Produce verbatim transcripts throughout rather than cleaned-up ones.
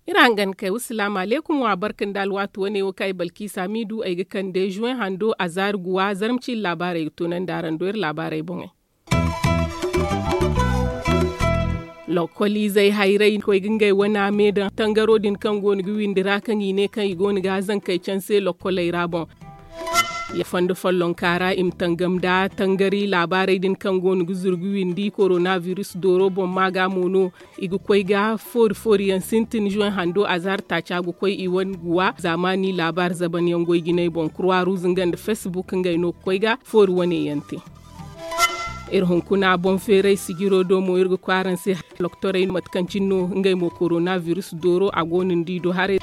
Iri hangan kay wa salaamu aleykum wa barka nda alwaati wane wo kaŋ ay balkiisa miidu ay ga kande juwen hando a zaari guwa zarma ciine laabaarey ga toonandi araŋ do iri laabaarey boŋey. Lokkol izey hayray koy ga ngey wana me daŋ tangaro din kaŋ go no ga windi ra kaŋ i ne kaŋ i go no ga zankey canse lokkoley ra boŋ. Ya fondo follonka ra i ma tangam nda tangari laabaarey din kaŋ go no ga zuru ga windi korona virus dooro boŋ ma ga mo no i ga koy ga foori foori yaŋ sintin juwen hando a zaari taaca ga koy i wane guwa zaamaani laabaari zaban yaŋ goy jinay boŋ kurwa ruuz nga nda facebook ngey no ga koy ga foori wane yaŋ te. Iri hunkuna boŋ feeray sijiro do mo iri ga koy araŋ se. Loktorey mate kaŋ cine no ngey mo korona virus dooro a go no ni di do haray.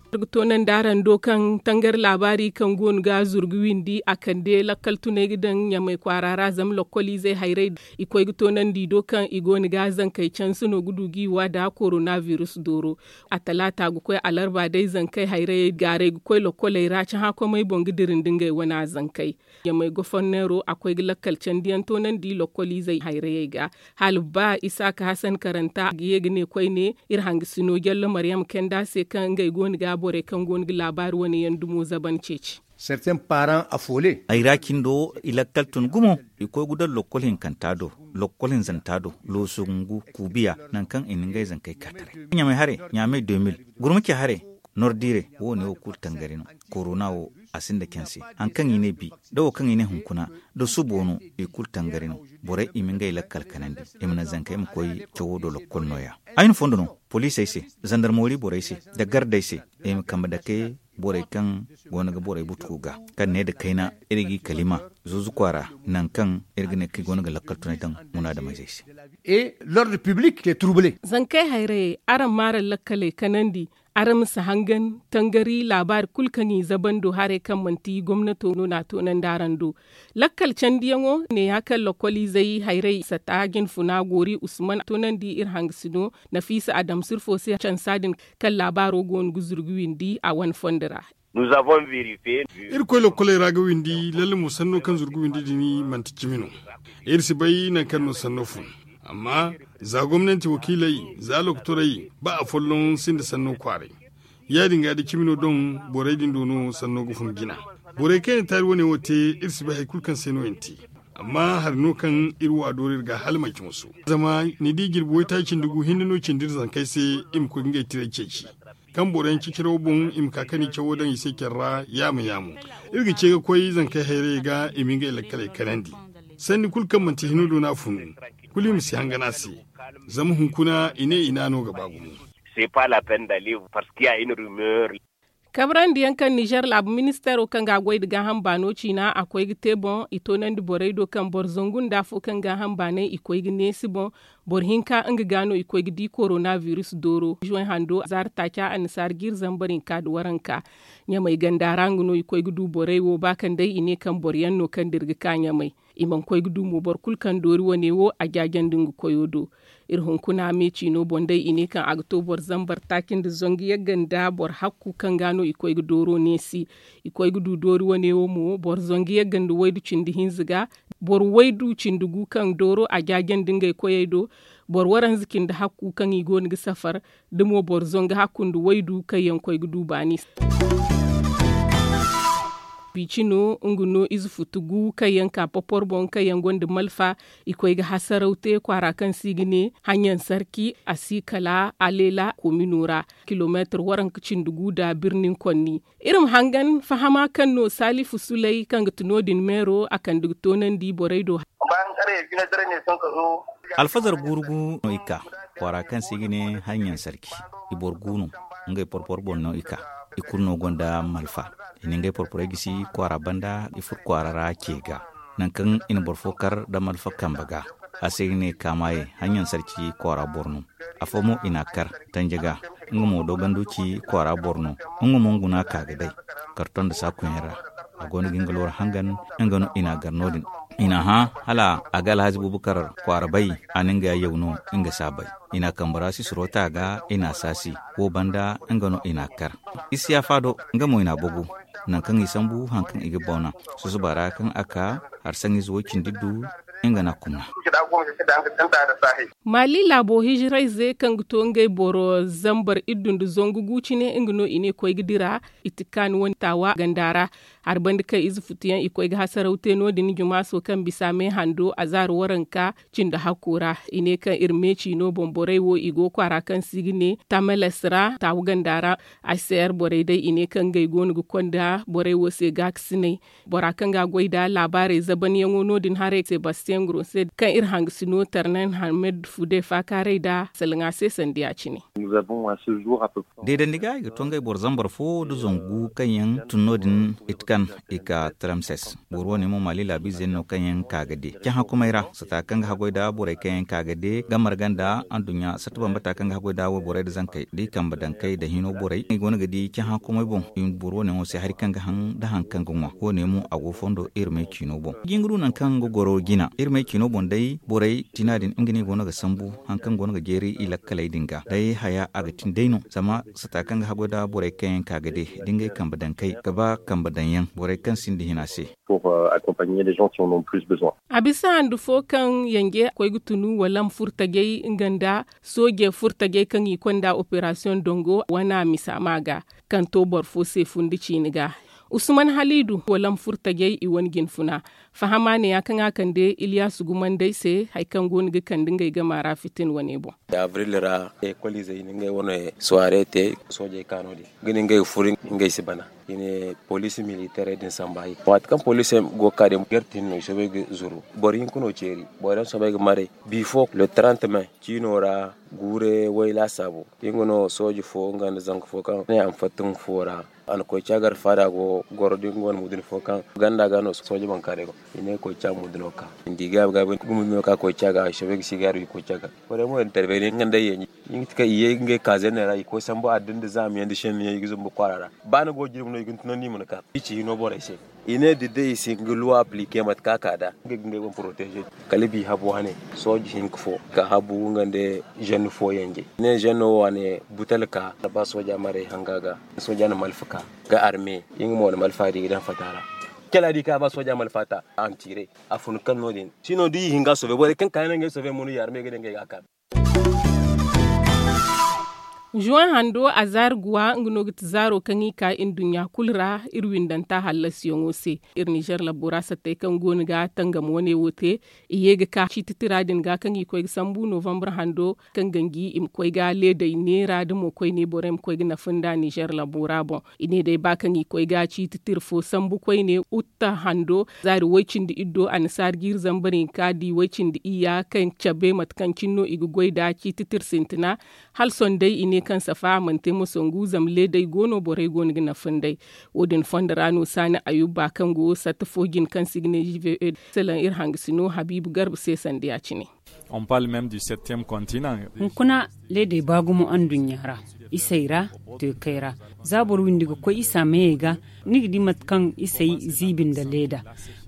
Iri ga toonandi araŋ do kaŋ tangari laabaari kaŋ go no ga zuru ga windi a kande lakkal tunay ga daŋ ɲamay kwaara ra zama lokkol izey hayray i koy ga toonandi do kaŋ i go no ga zankey canse no ga du ga i wa nda korona virus dooro. A talaata ga koy alarba day zankey hayrayey gaaray ga koy lokkoley ra cahã komey boŋ ga dira nda ngey wana zankey. Ɲamay goforneero a koy ga lakkal candiyaŋ toonandi lokkol izey hayrayey ga. Hala ba isaaka hasan karanta a ga ye ga ne koyne iri hangasino jallo maryam kenda se kaŋ ngey go no ga borey kaŋ go no ga laabaari wane yaŋ dumo zaban ceeci. Serten paran a foole. Ay ra cindo i lakkal tun gumo. I koy ga daŋ lokkol hinkanta do, lokkol hinzanta do, looso gungu, kuubiya, nangu kaŋ i na ngey zankey ka taray. Ɲamay hare, ɲamay deux mille, gurma ce hare, nordiire wo ne wo kulu tangari no. Korona wo a sinda canse. Hari kaŋ i ne bi, da wo kaŋ i ne hunkuna, da subo no i kulu tangari no. Borey i ma ngey lakkal kanandi, i ma naŋ zankey ma koy cawo do lokkol nooya. Ay na fondo no poliisey se, zandarmoori borey se, nda gardey se, i ma kambe dake borey kaŋ go no ga borey butuku ga, kaŋ ne nda kayna iri g'i kalima zuuzu kwaara, nangu kaŋ iri ga ne kaŋ i go no ga lakkal tunay daŋ munaadamizey se. Et l'ordre public te trouble. Zankey hayrayey araŋ ma araŋ lakkaley kanandi. Araŋ ma si hangan tangari laabaari kulu kaŋ i zabando haray kaŋ manti gomnato no n'a toonandi araŋ do. Lakkal candiyaŋo neeya kaŋ lokoliizey hayray sata jinfuna goori usman toonandi iri hangasino nafiisa adamsir fo se cansa din kaŋ laabaaro go no ga zuru ga windi a wane fondo ra. Iri koy lokkoley ra ga windi lalle mo sanno kaŋ zuru ga windi din manti cimi no. Iri si bay nangu kaŋ no sanno fun. Amma za gomnanti wakiiley, za lokotorey, ba afolloŋ sinda sanno kwaaray. Ya-din ga da cimi no doŋ borey din do no sanno ga fun jina. Borey kaŋ yaŋ taari wane wo te iri si bay hari kulu kaŋ se no yaŋ te. Amma hari no kaŋ iri wa doori iri ga hala manci musu. Zama ni di jirbi waytaaci nda gu hinne no cindi iri zankey se i ma koy ga ngey tiray ceeci. Kaŋ boro yaŋ ciciraw boŋ i ma ka kani cawo daŋ i se care ra yaamo yaamo. Iri ga ce ga koy zankey hayrayey ga i ma ngey lakkaley kanandi. Sanni kulu kaŋ manti hino do no a funu, kulu i ma si hangan a se. Zama hunkuna i ne i n'a no ga ba gumo. Kabrandi yaŋ kaŋ nizer laabu ministeero kaŋ ga a goy nda gaaham baano ciina a koy ga te boŋ i toonandi borey do kaŋ boro zangu nda afo kaŋ gaaham baanay i koy ga neesi boŋ. Boro hinka nga ga no i koy ga di korona virus dooro juwen hando zaari taaca annasaara jiiri zambar hinka nda waranka. Ɲamay ganda ra nga no i koy ga du borey wo ba kaŋ day i ne kaŋ boro yaŋ no kaŋ dira ga ka ɲamay. I mana koy ga du mo boro kulu kaŋ doori wane wo a jaajandi nga koyo do. Iri hunkuna me ciino boŋ day i ne kaŋ a ga to boro zambar taaci nda zangu yagga nda boro hakku kaŋ ga no i koy ga dooro neesi. I koy ga du doori wane wo mo boro zangu yagga nda waydu cindi hinza ga. Boro waydu cindi gu kaŋ dooro a jaajandi ngey koyey do. Boro waranza cindi hakku kaŋ i go no ga safar. Da mo boro zangu hakku nda waydu kaŋ yaŋ koy ga du baani. Bici no nga no ize futu gu kaŋ yaŋ ka popor boŋ kaŋ yaŋ gonda malfa. I koy ga hasaraw te kwaara kaŋ se i ga ne hanyaŋ sarki a si kala alela komino ra kilomeetir waranka cindi gu nda birnin konni. Iri ma hangan fahama kaŋ no salifu sulay kaŋ ga ti no din meero a kande ga toonandi borey do. Alfazar guuru gu no i ka kwaara kaŋ se i ga ne hanyaŋ sarki. I boro gu no ngey porpor boŋ no i ka. I kulu no gonda malfa. I na ngey porporey gisi kwaara banda i furo kwaara ra ce ga. Nangu kaŋ i na boro fo kar nda malfa kambe ga. A se i ga ne kaamaye hanyaŋ sarci kwaara boro no. Afo mo i n'a kar tanje ga. Nga mo doganduci kwaara boro no. Nga mo nga no a ka ga day karton nda saakuyaŋ ra. A go no ga nga looro hangan. Nga no i n'a gar no- din. I n'a hã hala a ga alhazi bubukar kwaara bay. A na nga yaw no nga si a bay. I n'a kambe ra sisiro te a ga i n'a saasi. Wo banda nga no i n'a kar. Isiyafa do nga mo i n'a bogu. Nangu kaŋ i sambu hari kaŋ i ga bauna susuba ra kaŋ a ka hari saŋ ize wo cindi du. Nga n'a kumna. Mali laabo hijirayze kaŋ ga to ngey boro zambar iddu nda zangu gu cine nga no i ne koy ga dira. I ti kaani wane taawa ganda ra. Hari banda kaŋ ize futuyaŋ i koy ga hasaraw te no- din jumaaso kaŋ bisa me hando azaari waranka cindi hakko ra. I ne kaŋ iri me ciino boŋ borey wo i go kwaara kaŋ se i ga ne tameles ra taawa ganda ra. Ay se yer borey day i ne kaŋ ngey go no ga konda borey wo se gaakasinay. Bora kaŋ ga a goy nda laabaarey zabanyaŋo no- din haray sebastian grose kaŋ iri hangasino tarnan hamed fude faakaaray nda salaŋa se sanda ya- cine. Deedandi ga i ga to ngey boro zambar fo nda zangu kaŋ yaŋ tun no- din. Itkan i ka tramses boro wane mo maali laabiizeyaŋ no kaŋ yaŋ ka ga de cahã kumay ra sata kaŋ ga haggoy nda borey kaŋ yaŋ ka ga de ga marga nda anduɲɲa satta bambata kaŋ ga haggoy nda wayborey nda zankey da i kambe dankey nda hino borey i go no ga di cahã kumay boŋ. Boro wane mo se hari kaŋ ga haŋ nda hari kaŋ ga ŋwa wo- ne mo a go fondo iri may ciino boŋ. Jinga du nangu kaŋ ga goro jina iri may ciino boŋ day borey tina din nga no i go no ga sambu hari kaŋ go no ga jeeri i lakkaley din ga day haya a ga tin day no zama sata kaŋ ga haggoy nda borey kaŋ yaŋ ka ga de da ngey kambe dankey ga ba kambe daŋ yaŋ borey kaŋ sinda hina se. A bisa handu fo kaŋ yanje koy ga tunu wala ma furo tajay nga nda sooje furo tajay kaŋ i konda operasiyoŋ dongo wana misa ma ga kaŋ to boro fo se fundi ciini ga. Usman halidu wala ma furo tajay i wane jinfuna fahama ne ya kaŋ a kande iliyasu gumandey se hari kaŋ go no ga kande ngey gama ra fitin wane boŋ. Abril ra ekoliizey i na ngey wane suwaare te soojey ka no- din ga ni ngey ga furo ngey si bana i ne poliisi militeerey din samba i waati kaŋ poliisey go ga ka din gartin no i soobay ga zuru boro hinka no ceeri boro yaŋ soobay ga maray. Bifo le trente mai ciino ra guure way laasaabu nga no sooje fo nga nda zanka fo kaŋ ne a ma fatta nga fo ra. A na koy ca gar faada go goro da nga wane mudun fo kaŋ ganda ga no sooje bankaaray go i ne koy ca mudun no ka i di gaabi gaabi nga mudun no ka koy ca ga i soobay ga si gaaru i koy ca ga. Borey mo intervene nga nda ay yaŋ i ga ti kaŋ i ye ngey kaazeene ra i koy sambu adda nda zaama yaŋ nda senni yaŋ i ga zumbu kwaara ra. Ba ni go jirbi no i ga ni tunandi i ma ni ka i ci hino borey se. I ne da day i si nga luwa aplike mate kaŋ a ka da nga ga ngey boŋ poroteeze. Kala bi habu wane sooje hinka fo ka habu nga nda zenno fo yanje i ne zenno wo wane butal ka ba sooja maray hanga ga sooja na malfa ka ga arme. Nga mo na malfa di ga daŋ fata ra kala di ka ba sooja malfa ta a ma tiire a fun kaŋ no- din sino da i hinga sobe borey kaŋ ka yaŋ no ngey sobe mo no i arme ga daŋ ngey ga a ka. Juwan hando a zaari guwa nga no ga ti zaaro kaŋ i ka nduɲɲa kulu ra iri windanta hallasiyaŋo se. Iri nizer labbo ra sattey kaŋ go no ga tangam wane wo te i ye ga ka ciiti tira din ga kaŋ i koy ga sambu novambar hando kaŋ ganji i ma koy ga leeday neera da mo koyne borey ma koy ga nafa nda nizer labbo ra boŋ. I ne day ba kaŋ i koy ga ciiti tira fo sambu koyne utta hando zaari way-cindi iddo annasaara jiiri zambar hinka di way-cindi iyya kaŋ cabe mate kaŋ cine no i ga goy nda ciiti tira sintina. Hala sohõ day i ne kaŋ safa a mana te moso ngu zama leeday go no borey go no ga nafa nd'ey. Wo- din fondo ra no saani ayuba kaŋ go satta fo jine kaŋ se i ga ne jive salaŋ iri hangasino habiibu garba se sanda ya- cine. Hunkuna leedey ba gumo anduɲɲa ra isey ra teekey ra za boro windi ga koy isa meyey ga ni ga di mate kaŋ isey ziibi nda leeda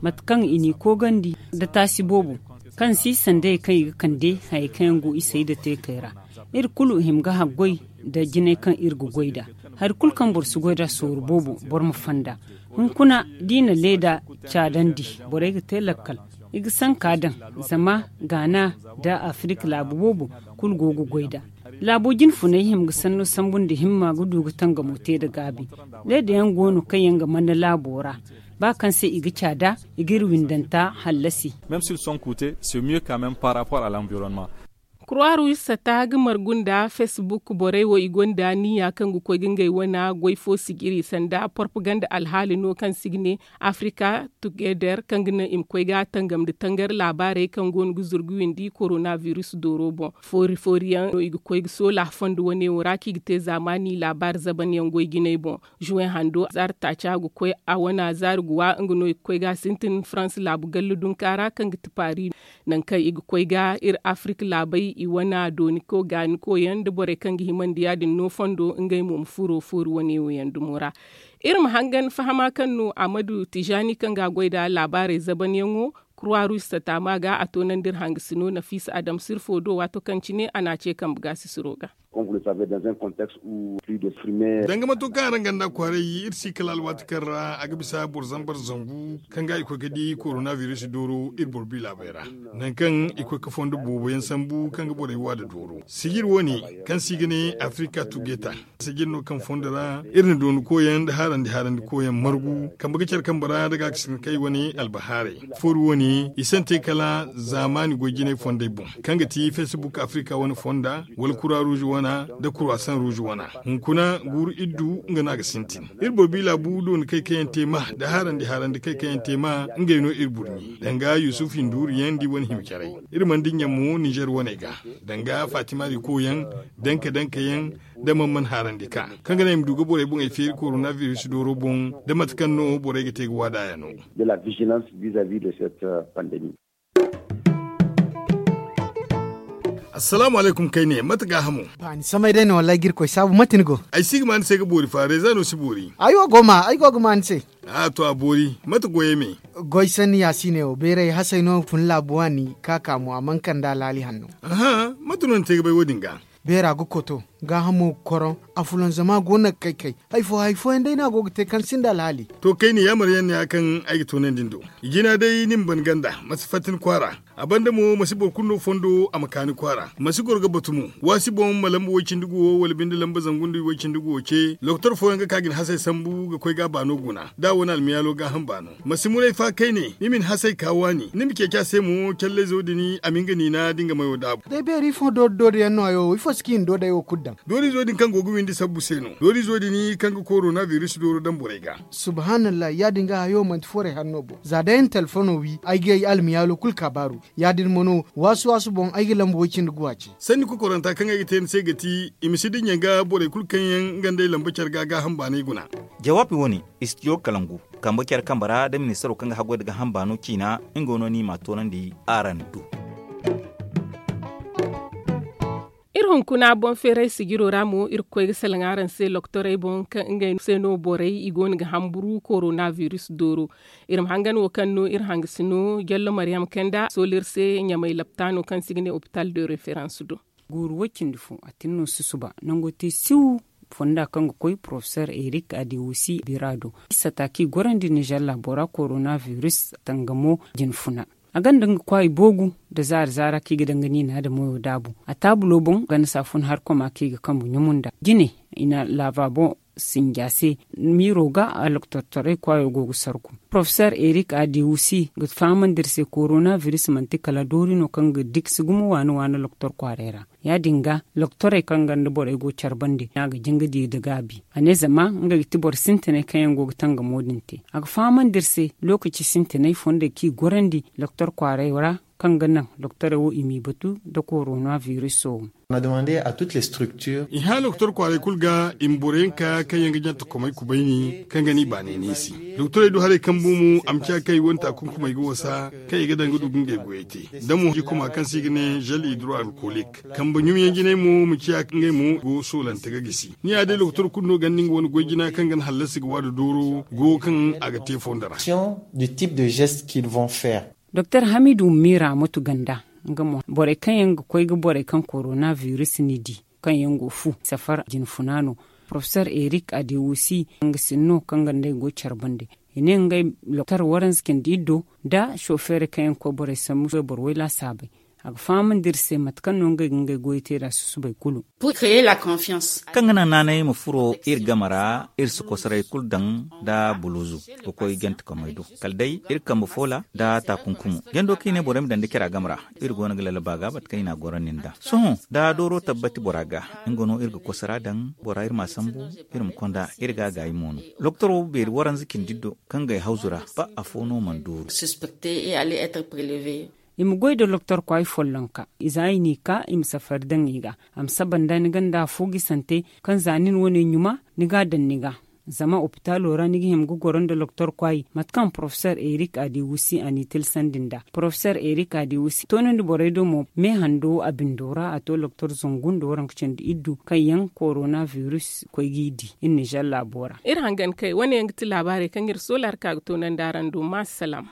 mate kaŋ i n'i koogandi nda taasi boobo kaŋ si sandey kaŋ i ga kande hayey kaŋ yaŋ go isey nda teekey ra. Iri kulu i hima ga haggoy nda jinay kaŋ iri ga goy nd'a. Hari kulu kaŋ boro si goy nd'a sooru boobo boro ma fonda. Hunkuna da i na leeda caadandi borey ga te lakkal i ga sanka daŋ zama gaana nda afirik laabu boobo kulu go ga goy nd'a. Laabo jinfunay hima ga sanno sambu nda himma ga du ga tangamo te nda gaabi. Leeda yaŋ go no kaŋ yaŋ ga manna laabo ra ba kaŋ se i ga caada i g'iri windanta hallasi. Même s'ils sont coûtés c'est mieux quand même par rapport à l'environnement. Croix rouge sata ga margu nda facebook borey wo i gonda niya kaŋ ga koy ga ngey wana goy fo sijiri sanda propaganda alhaali no kaŋ se i ga ne africa together kaŋ ga naŋ i ma koy ga tangam nda tangari laabaarey kaŋ go no ga zuru ga windi coronavirus dooro boŋ. Foori foori yaŋ no i ga koy ga soola fondo wane wo ra kaŋ i ga te zaamaani laabaari zaban yaŋ goy jinay boŋ. Juwen hando zaari taaca ga koy a wana zaari guwa nga no i ga koy ga a sintin farans laabu gallu dunka ra kaŋ ga ti paris. Nangu kaŋ i ga koy ga iri afirka laabey i wana dooniko gaaniko yaŋ nda borey kaŋ ga himandi ya- din no fondo ngey mo ma furo foori wane wo yaŋ dumo ra. Iri ma hangan fahama kaŋ no amadu tijaani kaŋ ga a goy nda laabaarey zaban yaŋo. Kurwa ruus taama ga a toonandi iri hangasino nafiisa adam sirfo do waato kaŋ cine a n'a ce kambe gaasisiro ga. Danga mato kaŋ araŋ ganda kwaaray iri si kala alwaati kaŋ ra a ga bisa boro zambar zangu kaŋ ga i koy ga di korona biris dooro iri boro bi laabey ra, nangu kaŋ i koy ga fondo boobo yaŋ sambu kaŋ ga borey wa nda dooro sijir wo- ne kaŋ se i ga ne afirika tugeta. Sijir no kaŋ fondo ra iri na dooni koyaŋ nda haarandi haarandi koyaŋ margu kambe ga care kambe ra nda ga ga sinda kay wane albahaarey. Foori wo- ne i sante kala zaamaani goy jinay fondey boŋ kaŋ ga ti fesbuk afirika wane fonda wala kura ruuzu wana nda kurasan ruuzu wana. Hunkuna guuru iddu nga no a ga sintin. Iri boro bi laabu dooni kay kaŋ yaŋ te ma nda haarandi haarandi kay kaŋ yaŋ te ma ngey no iri burɲi danga yusuf hinduuru yaŋ nda i wane hima caray. Iri mana dinya mo nizer waney ga danga fatima riko yaŋ, danka danka yaŋ, da man mana haarandi ka kaŋ ga naŋ i ma du ga borey boŋey feeri korona biris dooro boŋ da mate kaŋ no borey ga te ga waada yaŋo. Assalaamu alaykum kayne mate gaahamo? Ba ni samay day no wallahi ga irkoy saabu mate ni go? Ay si ga ma ni se ga boori fa reeza no si boori. Ay wo go ma ay go ga ma ni se. A to a boori. Mate goyey me? Goy sanni yaasiine wo beeray hasay no fun laabu waani ka ka mo a mana kande alhaali hanno. Aha, mate no ni te ga bay wo- din ga? Beera ga koto, gaahamo ga koroŋ, a fulanzama go no ga kay kay. Hari fo hari fooyaŋ day no a go ga te kaŋ sinda alhaali. To kayne yaamar yaŋ ne ya kaŋ ay ga toonandi ni do. I jina day ni ma ban ganda ma si fatta ni kwaara. A banda mo ma si boro kulu no fondo a ma ka ni kwaara ma si goro ga batu mo. Waasi boŋ ma lamba way-cindi guwo wala binde lamba zangu nda way-cindi guwo ce doktor fooyaŋ ga ka ga ni hasay sambu ga koy ga a baano guna da a wane almiyaalo gaaham baano. Ma si muray fa kayne ni ma ni hasay ka waani ni ma ceeci a se mo callayzo din a ma nga niina da nga mayo daabu. Day beeri fo doori doori yaŋ no hayo wo ifo si ga hin doodey wo kulu daŋ? Doorizo din kaŋ go ga windi sabbu se no doorizo din kaŋ ga korona biris dooro daŋ borey ga. Subhaanallah ya- din ga hayo manti forey hanno boŋ za day ni telefono wi ay ga ay almiyaalo kulu kaabaaru. Ya- din mo no waasu waasu boŋ ay ga lamba way-cindi guwa ce. Sanni kokoranta kaŋ ay ga te ni se ga ti i ma si dinya ga borey kulu kaŋ yaŋ nga nd'ey lamba care ga gaaham baanay guna. Jawaabi wo- ne, istijo kalangu kambe care kambe ra da ministaro kaŋ ga haggoy nda gaaham baano ciina. Nga no ni m'a toonandi araŋ do. Iri hunkuna boŋ feeray sijiro ra mo iri ga koy ga salaŋ araŋ se loktorey boŋ kaŋ ngey se no borey i go no ga hamburu korona biris dooro. Iri ma hangan wo kaŋ no iri hangasino jallo maryam kanda sola iri se ɲamay laptaano kaŋ se i ga ne opital de referans do. Guuru way-cindi fo a tin no susuba nango te siw fonda kaŋ ga koy porofesor erik adewusi bira do. Isa ta kaŋ i gorandi nizer laabo ra korona biris tangamo jinfuna. A gonda nga kwaayi boogu nda zaari zaara kaŋ i ga daŋ ga niina nda moyo daabu a taabulo boŋ ganda saafun hari koma kaŋ i ga kambu ɲumu nda jine. I na labaabo sinja se miiro ga aloktortorey kwaayo go ga sarku. Porofesor erik adewusi ga fahamandi iri se korona biris manti kala doori no kaŋ ga dikasi gumo waani waani loktor kwaaray ra. Ya- din ga loktorey kaŋ gonda borey go care bande no a ga jin ga di nda gaabi a ne zama ngey ga ti boro sintinay kaŋ yaŋ go ga tangamo din te. A ga fahamandi iri se lookaci sintinay fondey kaŋ i gorandi loktor kwaaray ra kaŋ ga naŋ loktorey wo i m'i batu nda korona biriso. I hã loktor kwaaray kulu ga i ma boro yaŋ ka kaŋ yaŋ ga ɲaŋ takomey kubayni kaŋ ga ni baanay neesi. Doktorey du haray kaŋ bu mo a ma ciya kaŋ i wane taakunkumey ga wasa kaŋ i ga daŋ ga du ga ngey goyey te. Da mo jikuma kaŋ se i ga ne zel hidro alkolik kambe ɲumyaŋ jinay mo ma ciya ngey mo go soolante ga gisi. Ni ya day doktor kulu no ganda nga wane goy jina kaŋ ga ni hallasi ga waada dooro go kaŋ a ga te fondo ra. Doktor hamidu miira mutu ganda nga mo borey kaŋ yaŋ ga koy ga borey kaŋ korona biris ni di kaŋ yaŋ go fu safar jinfuna no. Porofesor erik adewusi nga sinno kaŋ ga nd'ey go care bande i ne ngey loktor waranza cindi iddo nda sofeerey kaŋ yaŋ ga koy borey sambu boro way laasaabey. A ga fahamandi iri se mate kaŋ no ngey ga ngey goyey te nd'a susubay kulu. Kaŋ ga naŋ naanay ma furo iri game ra iri si kosoray kulu daŋ nda buluuzu ga koy jantekomey do kala day iri kambe foola nda taakunkumo jando kaŋ i ne borey ma daŋ nda cara game ra. Iri go no ga lallaba ga mate kaŋ i n'a gorandi nd'a sohõ da dooro tabbati bora ga nga no iri ga kosora daŋ bora iri m'a sambu iri ma konda iri ga a gaayi mo no. Loktoro beeri waranza cindi do kaŋ ga ay hawzu ra ba afo no mana dooru. I ma goy nda loktor kwaay follonka i za i n'i ka i ma safari daŋ i ga. A ma saba nda ni gonda afo gisante kaŋ za nin wane ɲuma ni ga a daŋ ni ga. Zama opitaalo ra ni ga hima ga goro nda loktor kwaay mate kaŋ porofesor erik adewusi a n'i tilsandi nd'a porofesor erik adewusi toonandi borey do mo me hando a bindo ra a to loktor zangu nda waranka cindi iddu kaŋ yaŋ korona biris koy g'i di iri nizer laabo ra. Iri hangan kay wane yaŋ ga ti laabaarey kaŋ iri soola hari ka ga toonandi araŋ do ma salaam.